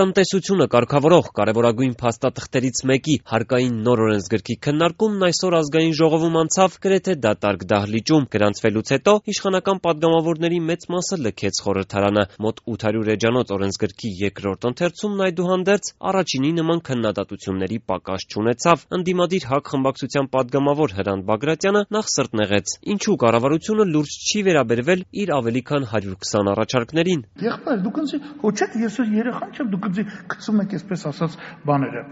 Տնտեսությունը կարգավորող կարևորագույն փաստաթղթերից մեկի հարկային նոր օրենսգրքի քննարկումն այսօր ազգային ժողովում անցավ գրեթե դատարկ դահլիճում։ Գրանցվելուց հետո իշխանական պատգամավորների մեծ մասը լքեց խորհրդարանը։ Մոտ 800 էջանոց օրենսգրքի երկրորդ ընթերցումն այդուհանդերձ առաջինի նման քննադատությունների պակաս չունեցավ։ Ընդդիմադիր ՀԱԿ խմբակցության պատգամավոր Հրանտ Բագրատյանը նախ սրտնեղեց, ինչու կառավարությունը լուրջ չի վերաբերվել իր ավելի քան 120 առաջարկներին։ Եղբայր, դուք ինձ հոչեք, ես երեխան չեմ, դուք ինձ գցում եք այսպես ասած բաները։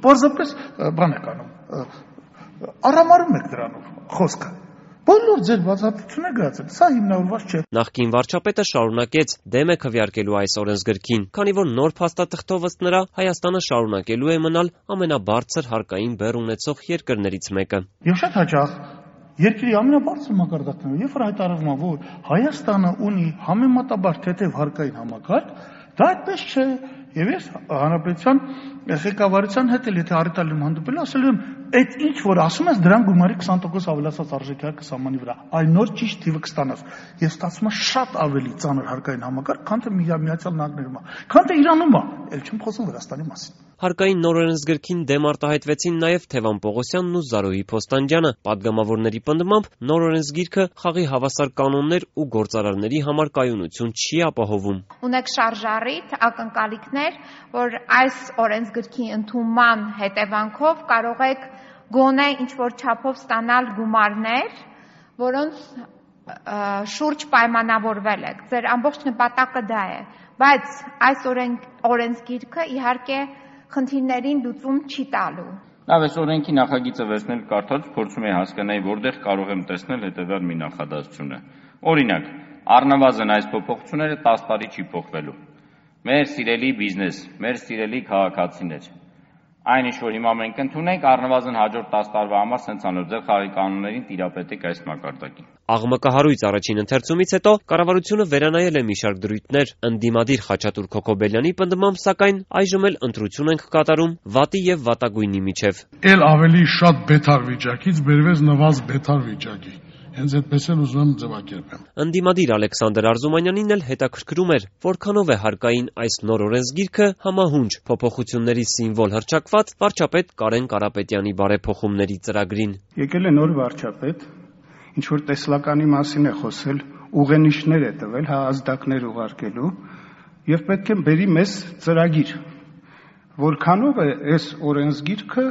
Պարզապես բան եք անում։ Արամարում եք դրանով խոսքը։ Բոլոր ձեր բացատրությունը գրած է, սա հիմնավորված չէ։ Նախկին վարչապետը շարունակեց դեմ է քվեարկելու այս օրենսգրքին, քանի որ նոր փաստաթղթով ըստ նրա Հայաստանը շարունակելու է մնալ ամենաբարձր հարկային բեռ ունեցող երկրներից մեկը։ Եվ շատ հաճախ երկրի ամենաբարձր մակարդակներով, երբ որ հայտարարվում է, որ Հայաստանը ունի համեմատաբար թեթև հարկային համակարգ, դա այդպես չէ։ Եվ ես հանրապետության ղեկավարության հետ էլ եթե առիթալում հանդիպել ասել եմ, այդ ինչ որ ասում ես դրան գումարի 20% ավելացած արժեքի հարկը սահմանի վրա, այն նոր ճիշտ թիվը կստանաս։ Ես ստացվում է շատ ավելի ծանր հարկային համակարգ, քան թե Միացյալ Նահանգներում է, քան թե Իրանում է, ել չեմ խոսում Վրաստանի մասին։ Հարկային նոր օրենսգրքին դեմ արտահայտվեցին նաև Թևան Պողոսյանն ու Զարուհի Փոստանջյանը։ Պատգամավորների պնդմամբ նոր օրենսգիրքը խաղի հավասար կանոններ ու գործարարների համար կայունություն չի ապահովում։ Ունեք շարժառիթ, ակնկալիքներ, որ այս օրենսգրքի ընդունման հետևանքով կարող եք գոնե ինչ-որ չափով ստանալ գումարներ, որոնց շուրջ պայմանավորվել եք։ Ձեր ամբողջ նպատակը դա է, բայց այս օրենսգիրքը իհարկե խնդիրներին լուծում չի տալու։ Լավ, այս օրենքի նախագիծը վերցնել կարդալուց փորձում եմ հասկանալ, որտեղ կարող եմ տեսնել հետևյալ մի նախադասությունը։ Օրինակ, առնվազն այս փոփոխությունները 10 տարի չի փոխվելու։ Մեր սիրելի բիզնես, մեր սիրելի քաղաքացիներ, այն ինչ որ հիմա մենք ընդունենք, առնվազն հաջորդ 10 տարվա համար սենց անոր ձեր խաղի կանոններին տիրապետեք այս մակարդակին։ Աղմկահարույց առաջին ընթերցումից հետո կառավարությունը վերանայել է մի շարք դրույթներ։ Ընդդիմադիր Խաչատուր Քոքոբելյանի պնդմամբ, սակայն այժմ էլ ընտրություն ենք կատարում վատի եւ վատագույնի միջև։ Էլ ավելի շատ բեթար վիճակից բերվեց նվազ բեթար վիճակի։ Հենց այդպես էլ ուզում եմ ձևակերպեմ։ Ընդդիմադիր Ալեքսանդր Արզումանյանին էլ հետաքրքրում էր, որքանով է հարկային այս նոր օրենսգիրքը համահունչ փոփոխությունների սիմվոլ հռչակված վարչապետ Կարեն Կարապետյանի բարեփոխումների ծրագրին։ Եկել է նոր վարչապետ, ինչ որ տեսլականի մասին է խոսել, ուղենիշներ է տվել, ազդակներ ուղարկելու, եւ պետք է բերի մեզ ծրագիր, որքանով է այս օրենսգիրքը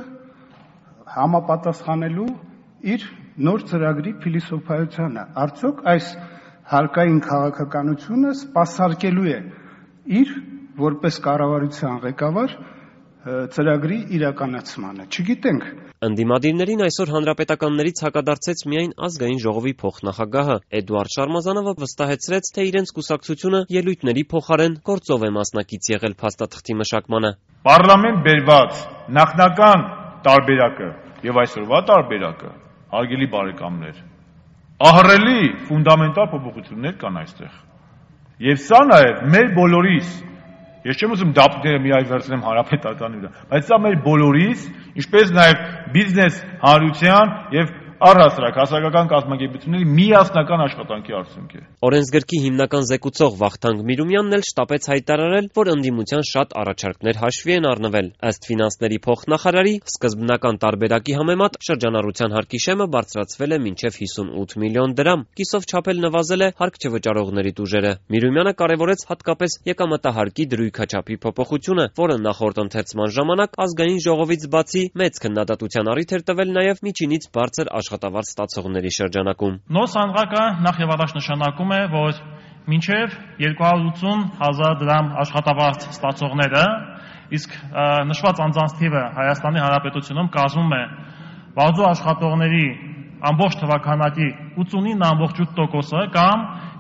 համապատասխանելու իր նոր ծրագրի փիլիսոփայությանը։ Արդյոք այս հարկային քաղաքականությունը սպասարկելու է իր որպես կառավարության ղեկավար ծրագրի իրականացմանը։ Չգիտենք։ Ընդդիմադիրներին այսօր հանրապետականներից հակադարձեց միայն ազգային ժողովի փոխնախագահը Էդուարդ Շարմազանովը վստահեցրեց, թե իրենց կուսակցությունը ելույթների փոխարեն գործով է մասնակից եղել փաստաթղթի մշակմանը։ Պարլամենտ բերված նախնական տարբերակը եւ այսօրվա տարբերակը, հարգելի բարեկամներ, ահռելի ֆունդամենտալ փոփոխություններ կան այստեղ։ Եվ սա նաեւ մեր բոլորիս, ես չեմ ուզում դապները միայն վերցնեմ հանրապետականի վրա, բայց սա մեր բոլորիս, ինչպես նաեւ բիզնես հանրության եւ առհասարակ հասարակական կազմակերպությունների միասնական աշխատանքի արդյունք է։ Օրենսգրքի հիմնական զեկուցող Վախթանգ Միրումյանն էլ շտապեց հայտարարել, որ ընդդիմության շատ առաջարկներ հաշվի են առնվել։ Ըստ ֆինանսների փոխնախարարի, սկզբնական տարբերակի համեմատ շրջանառության հարկի շեմը բարձրացվել է մինչև 58 միլիոն դրամ։ Կիսով չափել նվազել է հարկ չվճարողների տուժերը։ Միրումյանը կարևորեց հատկապես եկամտահարկի դրույքաչափի փոփոխությունը, որը նախորդ ընթերցման ժամանակ ազգային ժողովից բացի մեծ քննադատության առիթ էր տվել նաև միջինից բարձր աշխատավարձ ստացողների շրջանակում։ Նոր սանդղակը նախ եւ առաջ նշանակում է, որ մինչև 280,000 դրամ աշխատավարձ ստացողները, իսկ նշված անձանց թիվը Հայաստանի Հանրապետությունում կազմում է բազու աշխատողների ամբողջ թվականակի 89.8%-ը կամ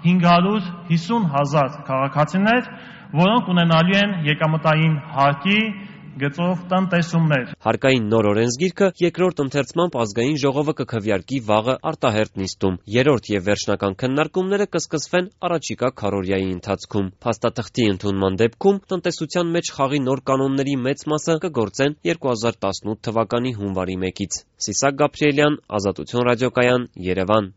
550,000 քաղաքացիներ, որոնք ունենալու են եկամտային հարկի գծով տնտեսումներ։ Հարկային նոր օրենսգիրքը երկրորդ ընթերցմամբ ազգային ժողովը կքվեարկի վաղը արտահերթ նիստում։ Երրորդ եւ վերջնական քննարկումները կսկսվեն առաջիկա քառօրյայի ընթացքում։ Փաստաթղթի ընդունման դեպքում տնտեսության մեջ խաղի նոր կանոնների մեծ մասը կգործեն 2018 թվականի հունվարի 1-ից։ Սիսակ Գաբրիելյան, Ազատություն ռադիոկայան, Երևան։